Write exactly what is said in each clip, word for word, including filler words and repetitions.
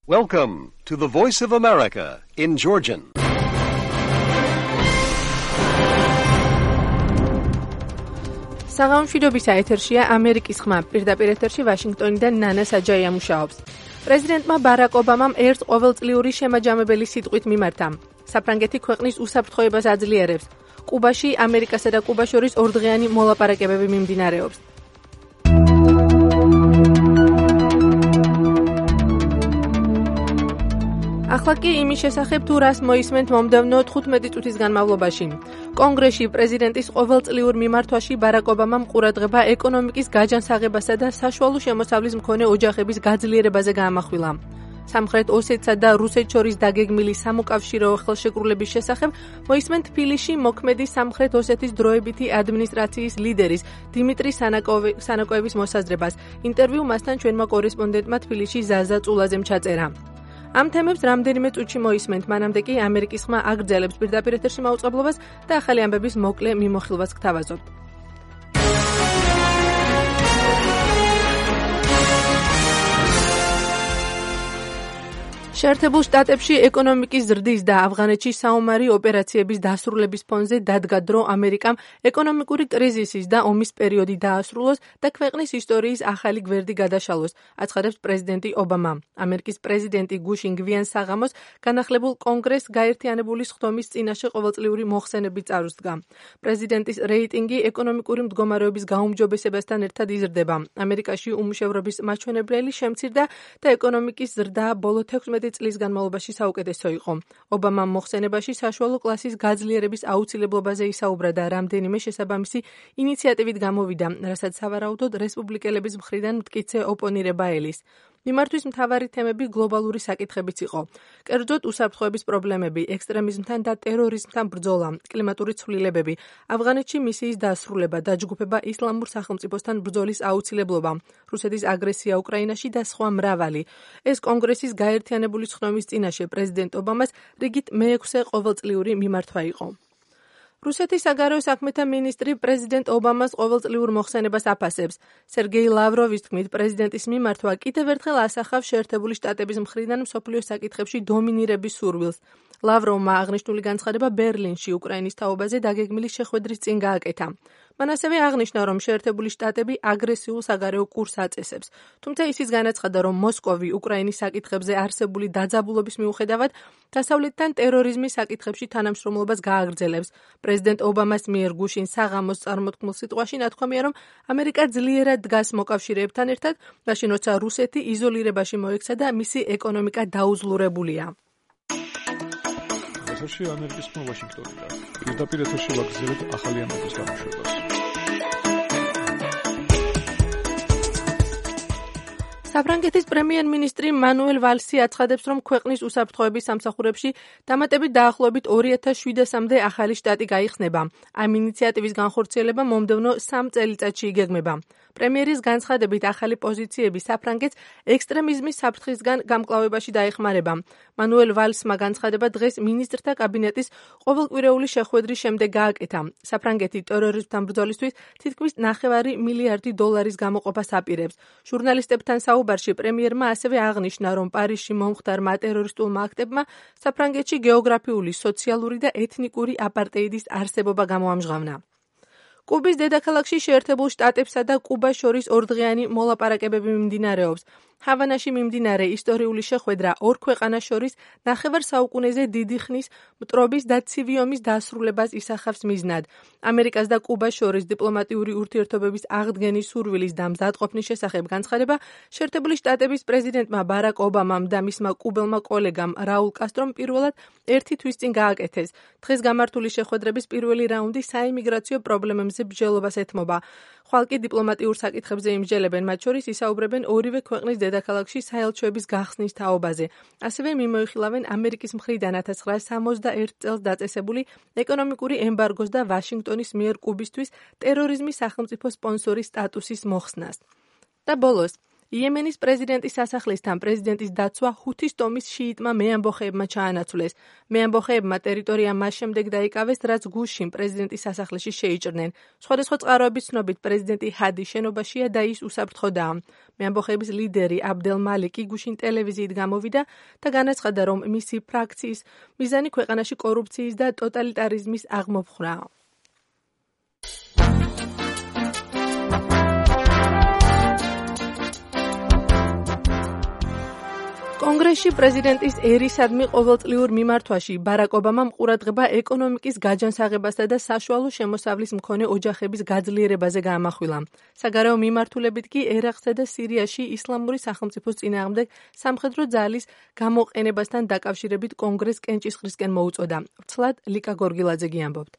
Welcome to the Voice of America in Georgian. საღამოშვიდობის ეთერშია ამერიკის ხმა. პირდაპირ ეთერში ვაშინგტონიდან ნანა საჯაია მუშაობს. პრეზიდენტმა ბარაკ ობამამ ერთ ყოველწლიური შემაჯამებელი სიტყვით მიმართა. საფრანგეთი ქვეყნის უსაფრთხოებას აძლიერებს. კუბაში ამერიკასა და კუბას შორის ორდღიანი მოლაპარაკებები მიმდინარეობს. ახლა კი იმის შესახებ თუ რას მოისმენთ მომდევნო თხუთმეტი წუთის განმავლობაში. კონგრესში პრეზიდენტის ყოველწლიურ მიმართვაში ბარაკ ობამამ ყურადღება ეკონომიკის გაჯანსაღებასა და საშუალო შემოსავლის მქონე ოჯახების გაძლიერებაზე გაამახვილა. სამხრეთ ოსეთსა და რუსეთს შორის დაგეგმილი სამოკავშირეო ხელშეკრულების შესახებ მოისმენთ თბილისში მოქმედი სამხრეთ ოსეთის დროებითი ადმინისტრაციის ლიდერის დიმიტრი სანაკოევის მოსაზრებას. ინტერვიუ მასთან ჩვენმა კორესპონდენტმა თბილისში ზაზა წულაძემ ჩაწერა. ამ თემებს რამდენიმე წუთში მოისმენთ, მანამდე კი ამერიკის ხმა აგრძელებს პირდაპირ ეთერში მაუწყებლობას და ახალი ამბების მოკლე მიმოხილვას გთავაზობთ. შეერთებულ შტატებში ეკონომიკის ზრდის და ავღანეთში საომარი ოპერაციების დასრულების ფონზე დადგა დრო ამერიკამ ეკონომიკური კრიზისის და ომის პერიოდი დაასრულოს და ქვეყნის ისტორიის ახალი გვერდი გადაშალოს, აცხადებს პრეზიდენტი ობამა. ამერიკის პრეზიდენტი გუშინ გვიან საღამოს განახლებულ კონგრესს გაერთიანებული სხდომის წინაშე ყოველწლიური მოხსენებით წარუსდგა. პრეზიდენტის რეიტინგი ეკონომიკური მდგომარეობის გაუმჯობესებასთან ერთად იზრდება. ამერიკაში უმუშევრობის მაჩვენებლელი შემცირდა და ეკონომიკის ზრდა ბოლო თექვსმეტი წლის განმავლობაში საუკეთესო იყო. ობამამ მოხსენებაში საშუალო კლასის გაძლიერების აუცილებლობაზე ისაუბრა და რამდენიმე შესაბამისი ინიციატივით გამოვიდა, რასაც სავარაუდოდ რესპუბლიკელების მხრიდან მტკიცე ოპონირება ელის. მიმართვის მთავარი თემები გლობალური საკითხებიც იყო. კერძოდ უსაფრთხოების პრობლემები, ექსტრემიზმთან და ტერორიზმთან ბრძოლა, კლიმატური ცვლილებები, ავღანეთში მისიის დასრულება, დაჯგუფება ისლამურ სახელმწიფოსთან ბრძოლის აუცილებლობა, რუსეთის აგრესია უკრაინაში და სხვა მრავალი. ეს კონგრესის გაერთიანებული სხდომის წინაშე პრეზიდენტ ობამას რიგით მეექვსე ყოველწლიური მიმართვა იყო. რუსეთის საგარეო საქმეთა მინისტრი პრეზიდენტ ობამას ყოველწლიურ მოხსენებას აფასებს. სერგეი ლავროვის თქმით, პრეზიდენტის მიმართვა კიდევ ერთხელ ასახავს შეერთებული შტატების მხრიდან მსოფლიოს საკითხებში დომინირების სურვილს. ლავროვმა აღნიშნული განცხადება ბერლინში უკრაინის თაობაზე დაგეგმილი შეხვედრის წინ გააკეთა. მან ასევე აღნიშნა, რომ შეერთებული შტატები აგრესიულ საგარეო კურსს აწესებს. თუმცა ისიც განაცხადა, რომ მოსკოვი უკრაინის საკითხებზე არსებული დაძაბულობის მიუხედავად დასავლეთთან ტერორიზმის საკითხებში თანამშრომლობას გააგრძელებს. პრეზიდენტ ობამას მიერ გუშინ საღამოს წარმოთქმულ სიტყვაში ნათქვამია, რომ ამერიკა ძლიერად დგას მოკავშირეებთან ერთად, მაშინ როცა რუსეთი იზოლირებაში მოექცა და მისი ეკონომიკა დაუძლურებულია. ეთერში ამერიკის ხმა ვაშინგტონიდან. პირდაპირ ეთერში ვაგრძელებთ ახალი ამბების გამოშვებას. საფრანგეთის პრემიერ-მინისტრი მანუელ ვალსი აცხადებს, რომ ქვეყნის უსაფრთხოების სამსახურებში დამატებით დაახლოებით ორი ათას შვიდასამდე ახალი შტატი გაიხსნება. ამ ინიციატივის განხორციელება მომდევნო სამ წელიწადში იგეგმება. პრემიერის განცხადებით ახალი პოზიციები საფრანგეთს ექსტრემიზმის საფრთხისგან გამკლავებაში დაეხმარება. მანუელ ვალსმა განცხადება დღეს მინისტრთა კაბინეტის ყოველკვირეული შეხვედრის შემდეგ გააკეთა. საფრანგეთი ტერორიზმთან ბრძოლისთვის თითქმის ნახევარი მილიარდი დოლარის გამოყოფას აპირებს. ჟურნალისტებთან საუბარში პრემიერმა ასევე აღნიშნა, რომ პარიზში მომხდარმა ტერორისტულმა აქტებმა საფრანგეთში გეოგრაფიული, სოციალური და ეთნიკური აპარტეიდის არსებობა გამოამჟღავნა. კუბის დედაქალაქში შეერთებულ შტატებსა და კუბას შორის ორდღიანი მოლაპარაკებები მიმდინარეობს. ჰავანაში მიმდინარე ისტორიული შეხვედრა ორ ქვეყანას შორის ნახევარ საუკუნეზე დიდი ხნის მტრობის და ცივი ომის დასრულებას ისახავს მიზნად. ამერიკას და კუბას შორის დიპლომატიური ურთიერთობების აღდგენის სურვილის და მზადყოფნის შესახებ განცხადება შეერთებული შტატების პრეზიდენტმა ბარაკ ობამამ და მისმა კუბელმა კოლეგამ რაულ კასტრომ პირველად ერთი თვის წინ გააკეთეს. დღეს გამართული შეხვედრების პირველი რაუნდი საიმიგრაციო პრობლემებზე ბრძოლებას ეთმობა. ხვალ კი დიპლომატიურ საკითხებზე იმსჯელებენ, მათ შორის ისაუბრებენ ორივე ქვეყნის დედაქალაქში საელჩოების გახსნის თაობაზე. ასევე მიმოიხილავენ ამერიკის მხრიდან ათას ცხრაასი სამოცდაერთ წელს დაწესებული ეკონომიკური ემბარგოს და ვაშინგტონის მიერ კუბისთვის ტერორიზმის სახელმწიფო სპონსორის სტატუსის მოხსნას. და ბოლოს, იემენის პრეზიდენტის სასახლისთან პრეზიდენტის დაცვა ჰუთის ტომის შიიტმა მეამბოხეებმა ჩაანაცვლეს. მეამბოხეებმა ტერიტორია მას შემდეგ დაიკავეს, რაც გუშინ პრეზიდენტის სასახლეში შეიჭრნენ. სხვადასხვა წყაროების ცნობით პრეზიდენტი ჰადი შენობაშია და ის უსაფრთხოდაა. მეამბოხეების ლიდერი აბდელ მალიკი გუშინ ტელევიზიით გამოვიდა და განაცხადა, რომ მისი ფრაქციის მიზანი ქვეყანაში კორუფციის და ტოტალიტარიზმის აღმოფხვრაა. კონგრესში პრეზიდენტის ერისადმი ყოველწლიურ მიმართვაში ბარაკ ობამამ ყურადღება ეკონომიკის გაჯანსაღებასა და საშუალო შემოსავლის მქონე ოჯახების გაძლიერებაზე გაამახვილა. საგარეო მიმართულებით კი ერაყსა და სირიაში ისლამური სახელმწიფოს წინააღმდეგ სამხედრო ძალის გამოყენებასთან დაკავშირებით კონგრესს კენჭისყრისკენ მოუწოდა. ვრცლად ლიკა გორგილაძე გიამბობთ.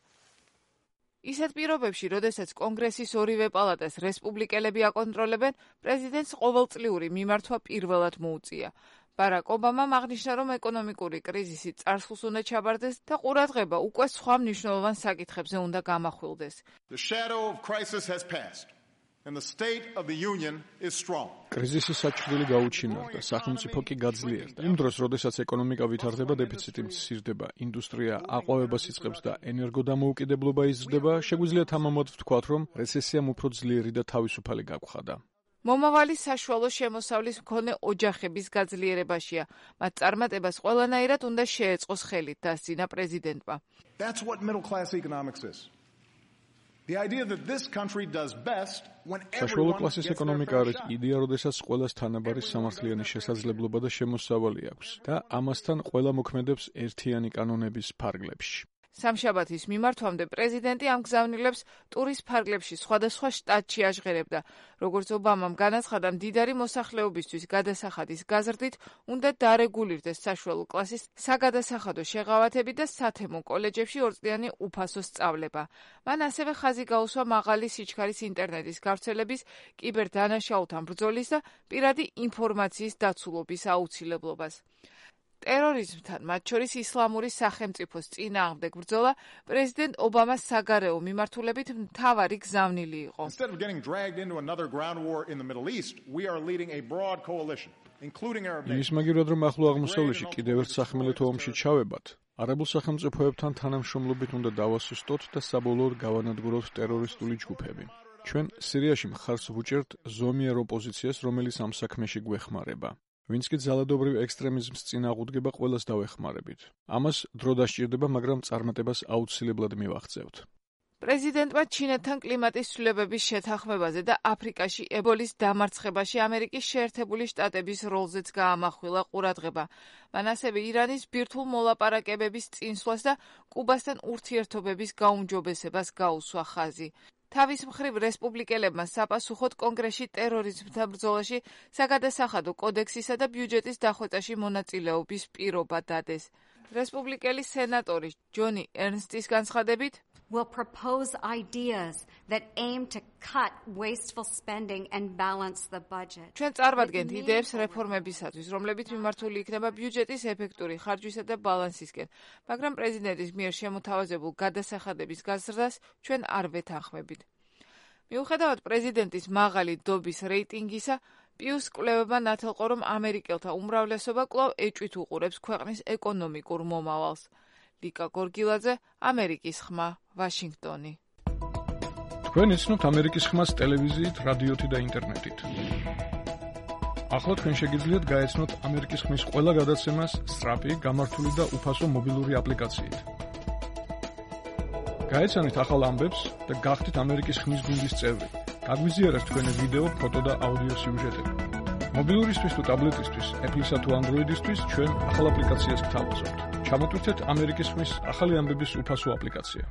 ისეთ პირობებში, როდესაც კონგრესის ორივე პალატას რესპუბლიკელები აკონტროლებენ, პრეზიდენტს ყოველწლიური მიმართვა პირველად მოუწია. ბარაკ ობამამ აღნიშნა, რომ ეკონომიკური კრიზისი წარსულს უნდა ჩაბარდეს და ყურადღება უკვე სხვა მნიშვნელოვან საკითხებზე უნდა გამახვილდეს. კრიზისის საჭრელი გაუჩინარდა, სახელმწიფო კი გაძლიერდა. იმ დროს, როდესაც ეკონომიკა ვითარდება, დეფიციტი მცირდება, ინდუსტრია აყვავებას იწყებს და ენერგოდამოუკიდებლობა იზრდება, შეგვიძლია თამამოდ ვთქვათ, რომ რეცესიამ უფრო ძლიერი და თავისუფალი გაგვხადა. მომავალი საშუალო შემოსავლის მქონე ოჯახების გაძლიერებაშია. მათ წარმატებას ყველანაირად უნდა შეეწყოს ხელით, დასძინა პრეზიდენტმა. That's what middle class economics is. The idea that this country does best when საშუალო კლასის ეკონომიკა არის იდეა, როდესაც ყველას თანაბარი სამართლიანი შესაძლებლობა და შემოსავალი აქვს და ამასთან ყველა მოქმედებს ერთიანი კანონების ფარგლებში. სამშაბათის მიმართვამდე პრეზიდენტი ამ გზავნილებს ტურის ფარგლებში სხვადასხვა შტატში აჟღერებდა. როგორც ობამამ განაცხადა, მდიდარი მოსახლეობისთვის გადასახადის გაზრდით უნდა დარეგულირდეს საშუალო კლასის საგადასახადო შეღავათები და სათემო კოლეჯებში ორწლიანი უფასო სწავლება. მან ასევე ხაზი გაუსვა მაღალი სიჩქარის ინტერნეტის გავრცელების, კიბერდანაშაულთან ბრძოლის და პირადი ინფორმაციის დაცულობის აუცილებლობას. ტერორიზმთან, მათ შორის ისლამური სახელმწიფოს წინააღმდეგ ბრძოლა პრეზიდენტ ობამას საგარეო მიმართულებით მთავარი გზავნილი იყო. იმის მაგივრად, რომ ახლო აღმოსავლეთში კიდევ ერთ სახმელეთო ომში ჩავებათ, არაბულ სახელმწიფოებთან თანამშრომლობით უნდა დავასუსტოთ და საბოლოოდ გავანადგუროთ ტერორისტული ჯგუფები. ჩვენ სირიაში მხარს ვუჭერთ ზომიერ ოპოზიციას, რომელიც ამ საქმეში გვეხმარება. ვინც კი ძალადობრივ ექსტრემიზმს წინააღმდეგება ყველას დავეხმარებით. ამას დრო დასჭირდება, მაგრამ წარმატებას აუცილებლად მივაღწევთ. პრეზიდენტმა ჩინეთთან კლიმატის ცვლილებების შეთანხმებაზე და აფრიკაში ებოლის დამარცხებაში ამერიკის შეერთებული შტატების როლზეც გაამახვილა ყურადღება. მან ასევე ირანის ბირთვულ მოლაპარაკებების წინსვლას და კუბასთან ურთიერთობების გაუმჯობესებას გაუსვა ხაზი. თავის მხრივ რესპუბლიკელებმა საპასუხოდ კონგრესში ტერორიზმთან ბრძოლაში საგადასახადო კოდექსისა და ბიუჯეტის დახვეწაში მონაწილეობის პირობა დადეს. რესპუბლიკელი სენატორი ჯონი ერნსტის განცხადებით, will propose ideas that aim to cut wasteful spending and balance the budget. ჩვენ წარმოვადგენთ იდეებს რეფორმებისათვის, რომლებიც მიმართული იქნება ბიუჯეტის ეფექტური ხარჯვისა და ბალანსისკენ, მაგრამ პრეზიდენტის მიერ შემოთავაზებულ გადასახადების გაზრდას ჩვენ არ ვეთანხმებით. მიუხედავად პრეზიდენტის მაღალი დობის რეიტინგისა, პიუს კვლევებმა ნათელყო, რომ ამერიკელთა უმრავლესობა კვლავ ეჭვით უყურებს ქვეყნის ეკონომიკურ მომავალს. ლიკა გორგილაძე, ამერიკის ხმა, ვაშინგტონი. თქვენ იცნობთ ამერიკის ხმას ტელევიზიით, რადიოთი და ინტერნეტით. ახლა თქვენ შეგიძლიათ გაეცნოთ ამერიკის ხმის ყველა გადაცემას სწრაფი, გამართული და უფასო მობილური აპლიკაციით. გაეცანით ახალ ამბებს და გახდით ამერიკის ხმის გუნდის წევრი. გაგვიზიარეთ თქვენი ვიდეო, ფოტო და აუდიო სიუჟეტები. მობილურისთვის თუ ტაბლეტისთვის, Apple-ისა თუ Android-ისთვის ჩვენ ახალ აპლიკაციას გთავაზობთ. ჩამოტვირთეთ ამერიკის ხმის ახალი ამბების უფასო აპლიკაცია.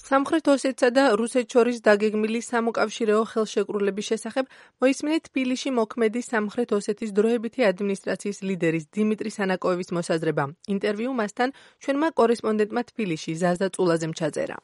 სამხრეთ ოსეთსა და რუსეთს შორის დაგეგმილი სამოკავშირეო ხელშეკრულების შესახებ მოისმინეთ თბილისში მოქმედი სამხრეთ ოსეთის დროებითი ადმინისტრაციის ლიდერის დიმიტრი სანაკოევის მოსაზრება. ინტერვიუ მასთან ჩვენმა კორესპონდენტმა თბილისში ზაზა წულაძემ ჩაწერა.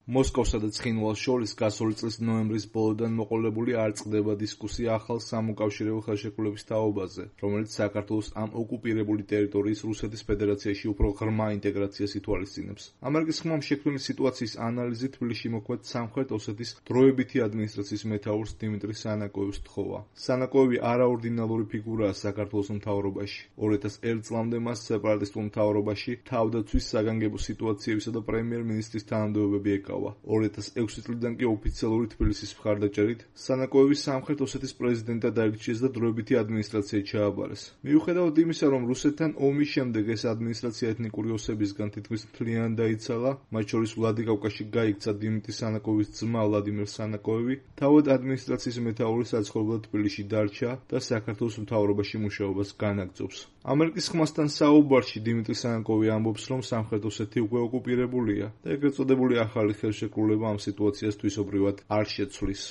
მოსკოვსა და ცხინვალს შორის გასული წლის ნოემბრის ბოლოდან მოყოლებული არ წყდება დისკუსია ახალ სამოკავშირეო ხელშეკრულების თაობაზე, რომელიც საქართველოს ამ ოკუპირებული ტერიტორიის რუსეთის ფედერაციაში უფრო ღრმა ინტეგრაციას ითვალისწინებს. ამერიკის ხმამ შექმნილი სიტუაციის ანალიზი თბილისში მოქმედ სამხრეთ ოსეთის დროებითი ადმინისტრაციის მეთაურს დიმიტრი სანაკოევს თხოვა. სანაკოევი არაორდინალური ფიგურაა საქართველოს მთავრობაში. ორი ათას ერთ წლამდე მას სეპარატისტულ მთავრობაში თავდაცვის, საგანგებო სიტუაციებისა და პრემიერ-მინისტრის თანამდებობები ეკავა. ორი ათას ექვსი წლიდან კი ოფიციალური თბილისის მხარდაჭერით სანაკოევი სამხრეთ ოსეთის პრეზიდენტად აირჩიეს და დროებითი ადმინისტრაცია ჩააბარეს. მიუხედავად იმისა, რომ რუსეთთან ომის შემდეგ ეს ადმინისტრაცია ეთნიკური ოსებისგან თითქმის მთლიანად დაიცალა, მათ შორის ვლადიკავკაზში გაიქცა დიმიტრი სანაკოევის ძმა ვლადიმერ სანაკოევი, თავად ადმინისტრაციის მეთაური საცხოვრებლად თბილისში დარჩა და საქართველოს მთავრობაში მუშაობას განაგრძობს. ამერიკის ხმასთან საუბარში დიმიტრი სანაკოევი ამბობს, რომ სამხრეთ ოსეთი უკვე ოკუპირებულია და ეგრეთ წოდებული ახალი ხელშეკრულება ამ სიტუაციას თვისობრივად არ შეცვლის.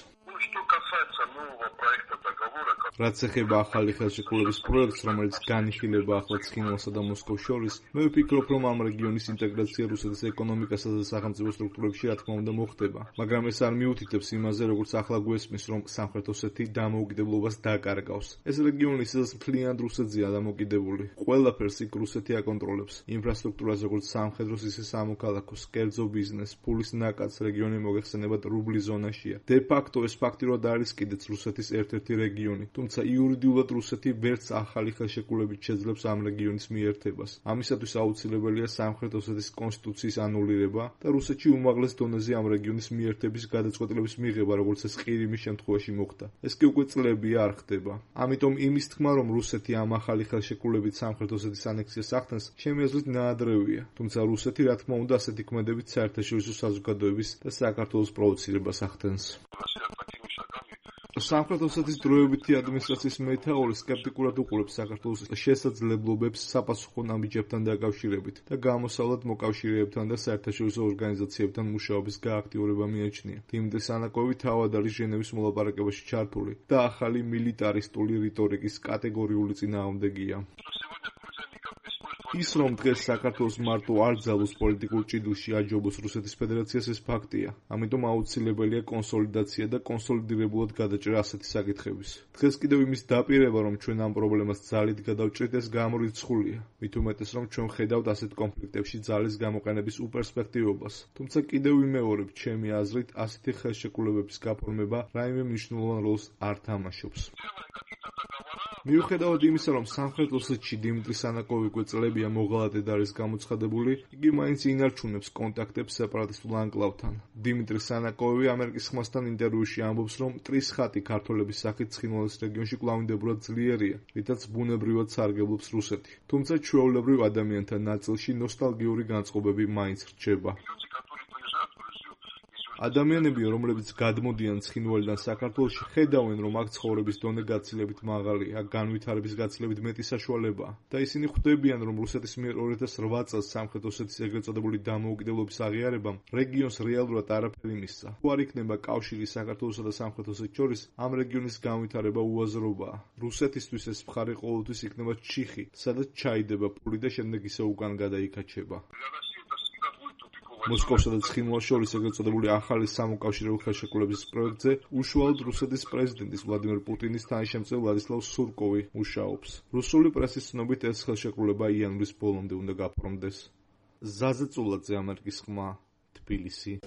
რაც ეხება ახალი ხელშეკრულების პროექტს, რომელიც განიხილება ახლა ცხინვალსა და მოსკოვს შორის, მე ვფიქრობ, რომ ამ რეგიონის ინტეგრაცია რუსეთის ეკონომიკასა და სახელმწიფო სტრუქტურებში რა თქმა უნდა მოხდება, მაგრამ ეს არ მიუთითებს იმაზე, როგორც ახლა გვესმის, რომ სამხრეთ ოსეთი დამოუკიდებლობას დაკარგავს. ეს რეგიონი სადაც მთლიანად რუსეთზეა დამოკიდებული. ყველაფერს იქ რუსეთი აკონტროლებს. ინფრასტრუქტურას როგორც სამხედროს, ისე სამოქალაქოს, კერძო ბიზნეს, ფულის ნაკადს რეგიონი მოგეხსენებათ რუბლის ზონაშია. De facto ეს ფაქტიურად არის კიდეც რუსეთის ერთ-ერთი რეგიონი. თუმცა იურიდიულად რუსეთი ვერც ახალი ხელშეკრულებით შეძლებს ამ რეგიონის მიერთებას. ამისათვის აუცილებელია სამხრეთ ოსეთის კონსტიტუციის ანულირება და რუსეთში უმაღლეს დონეზე ამ რეგიონის მიერთების გადაწყვეტილების მიღება, როგორც ეს ყირიმის შემთხვევაში მოხდა. ეს კი უკვე წლებია არ ხდება. ამიტომ იმის თქმა, რომ რუსეთი ამ ახალი ხელშეკრულებით სამხრეთ ოსეთის ანექსიას ახდენს, ჩემი აზრით ნაადრევია. თუმცა რუსეთი რა თქმა უნდა ასეთი ქმედებით საერთაშორისო საზოგადოების და საქართველოს პროვოცირებას ახდენს. სამხრეთ ოსეთის დროებითი ადმინისტრაციის მეთაური სკეპტიკურად უყურებს საქართველოს შესაძლებლობებს საპასუხო ნაბიჯებთან დაკავშირებით და გამოსავლად მოკავშირეებთან და საერთაშორისო ორგანიზაციებთან მუშაობის გააქტიურება მიაჩნია. დიმიტრი სანაკოევი თავად არის ჟენევის მოლაპარაკებაში ჩართული და ახალი მილიტარისტული რიტორიკის კატეგორიული წინააღმდეგია. ის რომ დღეს საქართველოს მარტო არ ძალოს პოლიტიკურ ჭიდილში აჯობოს რუსეთის ფედერაციას, ეს ფაქტია. ამიტომ აუცილებელია კონსოლიდაცია და კონსოლიდირებულად გადაჭრა ასეთი საკითხების. დღეს კიდევ იმის დაპირება, რომ ჩვენ ამ პრობლემას ძალით გადავჭრით, ეს გამორიცხულია. მით უმეტეს, რომ ჩვენ ხედავთ ასეთ კონფლიქტებში ძალის გამოყენების უპერსპექტივობას. თუმცა კიდევ ვიმეორებ, ჩემი აზრით, ასეთი ხელშეკრულებების გაფორმება რაიმე მნიშვნელოვან როლს არ თამაშობს. მიუხედავად იმისა, რომ სამხრეთ ოსეთში დიმიტრი სანაკოევი უკვე წლებია მოღალატედ არის გამოცხადებული, იგი მაინც ინარჩუნებს კონტაქტებს სეპარატისტულ ანკლავთან. დიმიტრი სანაკოევი ამერიკის ხმასთან ინტერვიუში ამბობს, რომ მტრის ხატი ქართველების სახით ცხინვალის რეგიონში კვლავინდებურად ძლიერია, რითაც ბუნებრივად სარგებლობს რუსეთი. თუმცა ჩვეულებრივ ადამიანთა ნაწილში ნოსტალგიური განწყობები მაინც რჩება. ადამიანები, რომლებიც გადმოდიან ცხინვალიდან საქართველოში, ხედავენ, რომ აქ ცხოვრების დონე გაცილებით მაღალია, აქ განვითარების გაცილებით მეტი საშუალებაა და ისინი ხვდებიან, რომ რუსეთის მიერ ორი ათას რვა წელს სამხრეთ ოსეთის ეგრეთ წოდებული დამოუკიდებლობის აღიარებამ რეგიონს რეალურად არაფერი მისცა. თუ არ იქნება კავშირი საქართველოსა და სამხრეთ ოსეთს შორის, ამ რეგიონის განვითარება უაზრობაა. რუსეთისთვის ეს მხარე ყოველთვის იქნება ჩიხი, სადაც ჩაიდება ფული და შემდეგ ისე უკან გადაიქაჩება. მოსკოვსა და ცხინვალს შორის ეგრეთ წოდებული ახალი სამოკავშირეო ხელშეკრულების პროექტზე უშუალოდ რუსეთის პრეზიდენტის ვლადიმერ პუტინის თანაშემწე ვლადისლავ სურკოვი მუშაობს. რუსული პრესის ცნობით ეს ხელშეკრულება იანვრის ბოლომდე უნდა გაფორმდეს. ზაზე წულაძე, ამერიკის ხმა, თბილისი.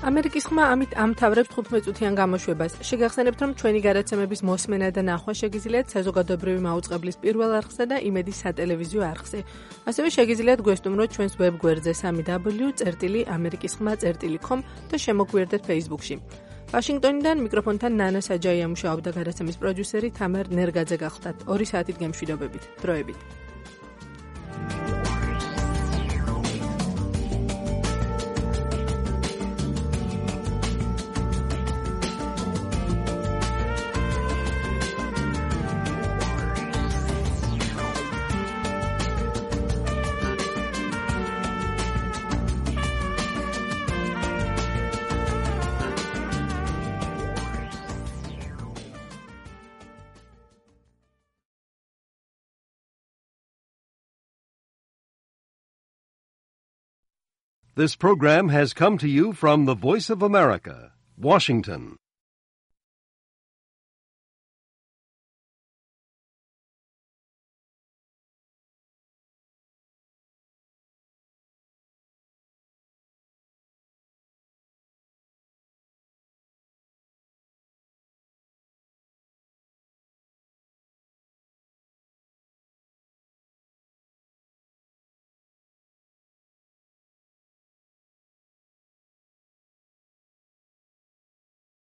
ამერიკის ხმა ამით ამთავრებს თხუთმეტ წუთიან გამოშვებას. შეგახსენებთ, რომ ჩვენი გადაცემების მოსმენა და ნახვა შეგიძლიათ საზოგადოებრივი მაუწყებლის პირველ არხსა და იმედის სატელევიზიო არხზე. ასევე შეგიძლიათ გვესტუმროთ ჩვენს ვებგვერდზე სამი დაბლიუ წერტილი ამერიკის ხმა წერტილი com და შემოგვიერთდეთ Facebook-ში. ვაშინგტონიდან მიკროფონთან ნანა საჯაია მუშაობდა, გადაცემის პროდიუსერი თამარ ნერგაძე გახლდათ. ორი საათით გემშვიდობებით. დროებით. This program has come to you from the Voice of America, Washington.